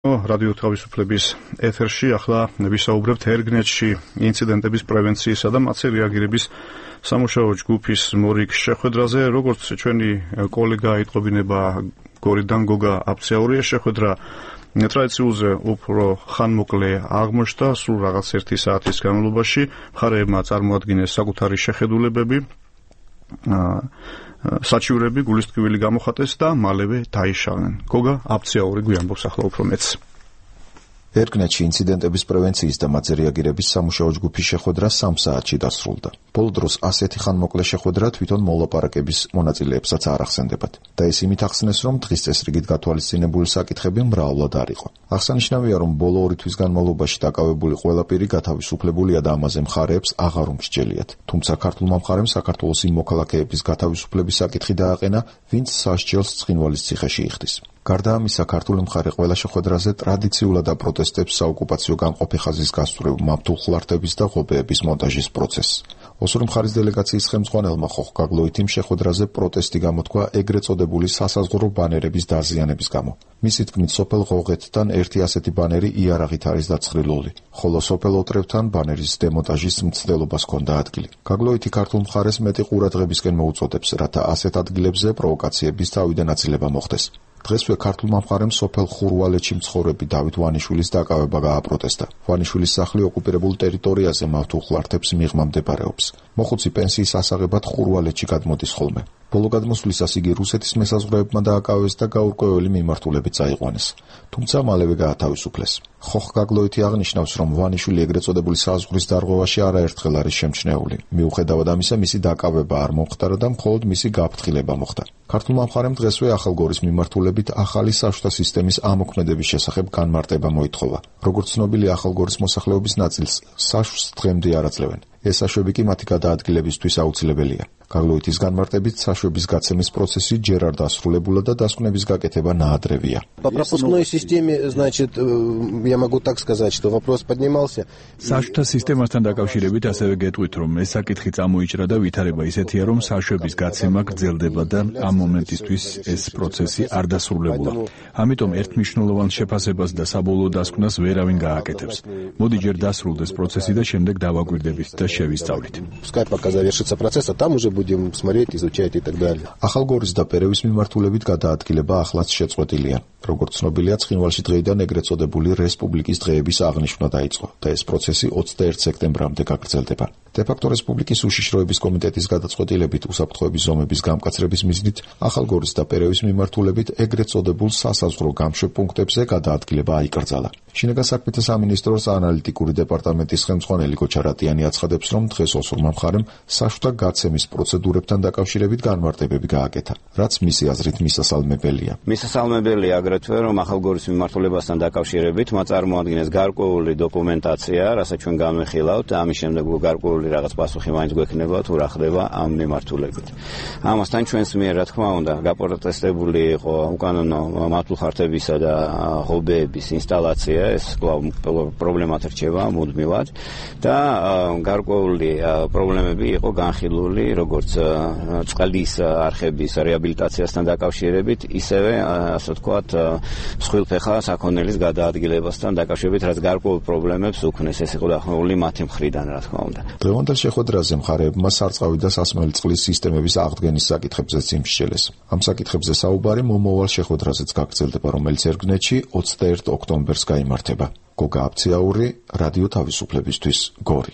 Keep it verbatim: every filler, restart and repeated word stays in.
რადიო თავისუფლების ეთერში ახლა ვისაუბრებთ ერგნეტში ინციდენტების პრევენციისა და მათზე რეაგირების სამუშაო ჯგუფის მორიგ შეხვედრაზე. როგორც ჩვენი კოლეგა იტყობინება გორიდან გოგა აბცეაურია, შეხვედრა ტრადიციულზე უფრო ხანმოკლე აღმოჩნდა სულ რაღაც ერთი საათის განმავლობაში. მხარეებმა წარმოადგინეს საკუთარი შეხედულებები, საჩივრები, გულისტკივილი გამოხატეს და მალევე დაიშალნენ. გოგა აბცეაური გვიამბობს ახლა უფრო მეც. ერგნეტში ინციდენტების პრევენციის და მათზე რეაგირების სამუშაო ჯგუფის შეხვედრა სამ საათში დასრულდა. ბოლო დროს ასეთი ხანმოკლე შეხვედრა თვითონ მოლაპარაკების მონაწილეებსაც არ ახსენდებათ. და ეს იმით ახსნეს, რომ დღის წესრიგით გათვალისწინებული საკითხები მრავლად არ იყო. აღსანიშნავია, რომ ბოლო ორი თვის განმავლობაში დაკავებული ყველა პირი გათავისუფლებულია და ამაზე მხარეებს აღარ უმსჯელიათ. თუმცა ქართულმა მხარემ საქართველოს იმ მოქალაქეების გათავისუფლების საკითხი დააყენა, ვინც სასჯელს ცხინვალის ციხეში იხდის. გარდა ამისა, ქართული მხარე ყველა შეხვედრაზე ტრადიციულად აპროტესტებს საოკუპაციო განყოფი ხაზის გასწვრივ მავთულხლართების და ღობეების მონტაჟის პროცესს. ოსური მხარის დელეგაციის ხელმძღვანელმა ხოხგაგლოითიმ შეხვედრაზე პროტესტი გამოთქვა ეგრეთ წოდებული სასაზღვრო ბანერების დაზიანების გამო. მისი თქმით, სოფელ ღოღეთთან ერთი ასეთი ბანერი იარაღით არის დაცხრილული, ხოლო სოფელ ოტრევთან ბანერის დემონტაჟის მცდელობას ჰქონდა ადგილი. გაგლოითი ქართულ მხარეს მეტი ყურადღებისკენ მოუწოდებს, რათა ასეთ ადგილებზე პროვოკაციების თავიდან აცილება მოხდეს. დღესვე ქართულმა მხარემ სოფელ ხურვალეთში მცხოვრები დავით ვანიშვილის დაკავება გააპროტესტა. ვანიშვილის სახლი ოკუპირებულ ტერიტორიაზე მავთულხლართებს მიღმა მდებარეობს. მოხუცი პენსიის ასაღებად ხურვალეთში გადმოდის ხოლმე. ბოლო გადმოსვლისას იგი რუსეთის მესაზღვრეებმა დააკავეს და გაურკვეველი მიმართულებით წაიყვანეს. თუმცა მალევე გაათავისუფლეს. ხოხგაგლოითი აღნიშნავს, რომ ვანიშვილი ეგრეთ წოდებული საზღვრის დარღვევაში არაერთხელ არის შემჩნეული. მიუხედავად ამისა, მისი დაკავება არ მომხდარა და მხოლოდ მისი გაფრთხილება მოხდა. ქართულმა მხარემ დღესვე ახალგორის მიმართულებით ახალი საშუთა სისტემის ამოქმედების შესახებ განმარტება მოითხოვა. როგორც ცნობილია, ახალგორის მოსახლეობის ნაწილს საშუს დღემდე არ აძლევენ. ეს საშვები კი მათი გადაადგილებისთვის აუცილებელია. გაგლოითის განმარტებით, საშვების გაცემის პროცესი ჯერ არ დასრულებულა და დასკვნების გაკეთება ნაადრევია. По пропускной системе, значит, я могу так сказать, что вопрос поднимался. Сაშუთა სისტემასთან დაკავშირებით ასევე გეტყვით, რომ ეს საკითხი წამოიჭრა და ვითარება ისეთია, რომ საშვების გაცემა გრძელდება და ამ მომენტისთვის ეს პროცესი არ დასრულებულა. ამიტომ ერთმნიშვნელოვან შეფასებას და საბოლოო დასკვნას ვერავინ გააკეთებს. მოდი ჯერ დასრულდეს პროცესი და შემდეგ დავაკვირდებით და შევისწავლით. Пускай пока завершится процесс, а там уже будем смотреть, изучать и так далее. ახალგორის და პერევის მიმართულებით გადაადგილება ახლაც შეწყვეტილია. როგორც ცნობილია, ცხინვალში დღეიდან ეგრეთ წოდებული რესპუბლიკის დღეების აღნიშვნა დაიწყო და ეს პროცესი ოცდაერთი სექტემბრამდე გაგრძელდება. დე-ფაქტო რესპუბლიკის უშიშროების კომიტეტის გადაწყვეტილებით უსაფრთხოების ზომების გამკაცრების მიზნით ახალგორის და პერევის მიმართულებით ეგრეთ წოდებულ სასაზღვრო გამშვებ პუნქტებზე გადაადგილება აიკრძალა. შინაგან საქმეთა სამინისტროს ანალიტიკური დეპარტამენტის ხელმძღვანელი გოჩა რატიანი აცხადებს, რომ დღეს ოსურმა მხარემ საშუთა გაცემის პროცედურებთან დაკავშირებით განმარტებები გააკეთა, რაც მისი აზრით მისასალმებელია. მისასალმებელია აგრეთვე, რომ ახალგორის მიმართულებასთან დაკავშირებით მათ წარმოადგენეს გარკვეული დოკუმენტაცია, რასაც ჩვენ განვიხილავთ, ამის შემდეგ გარკვეული რაღაც პასუხი მაინც გვექნება თუ რა ხდება ამ მიმართულებით. ამასთან ჩვენს მიერ, რა თქმა უნდა, გაპროტესტებული იყო უკანონო მავთულხლართებისა და ღობეების ინსტალაცია, ეს პრობლემად რჩება მუდმივად და გარკვეული პრობლემები იყო განხილული, როგორც წყლის არხების რეაბილიტაციასთან დაკავშირებით, ისევე, ასე ვთქვათ, მსხვილფეხა საქონელის გადაადგილებასთან დაკავშირებით, რაც გარკვეულ პრობლემებს უქმნეს. ეს იყო დაახლოებული მათი მხრიდან, რა თქმა უნდა. დღევანდელ შეხვედრაზე მხარეებმა სარწყავი და სასმელი წყლის სისტემების აღდგენის საკითხებზეც იმსჯელეს. ამ საკითხებზე საუბარი მომავალ შეხვედრაზეც გაგრძელდება, რომელიც ერგნეტში ოცდაერთი ოქტომბერს გაიმართება. გოგა აბცეაური, რადიო თავისუფლებისთვის, გორი.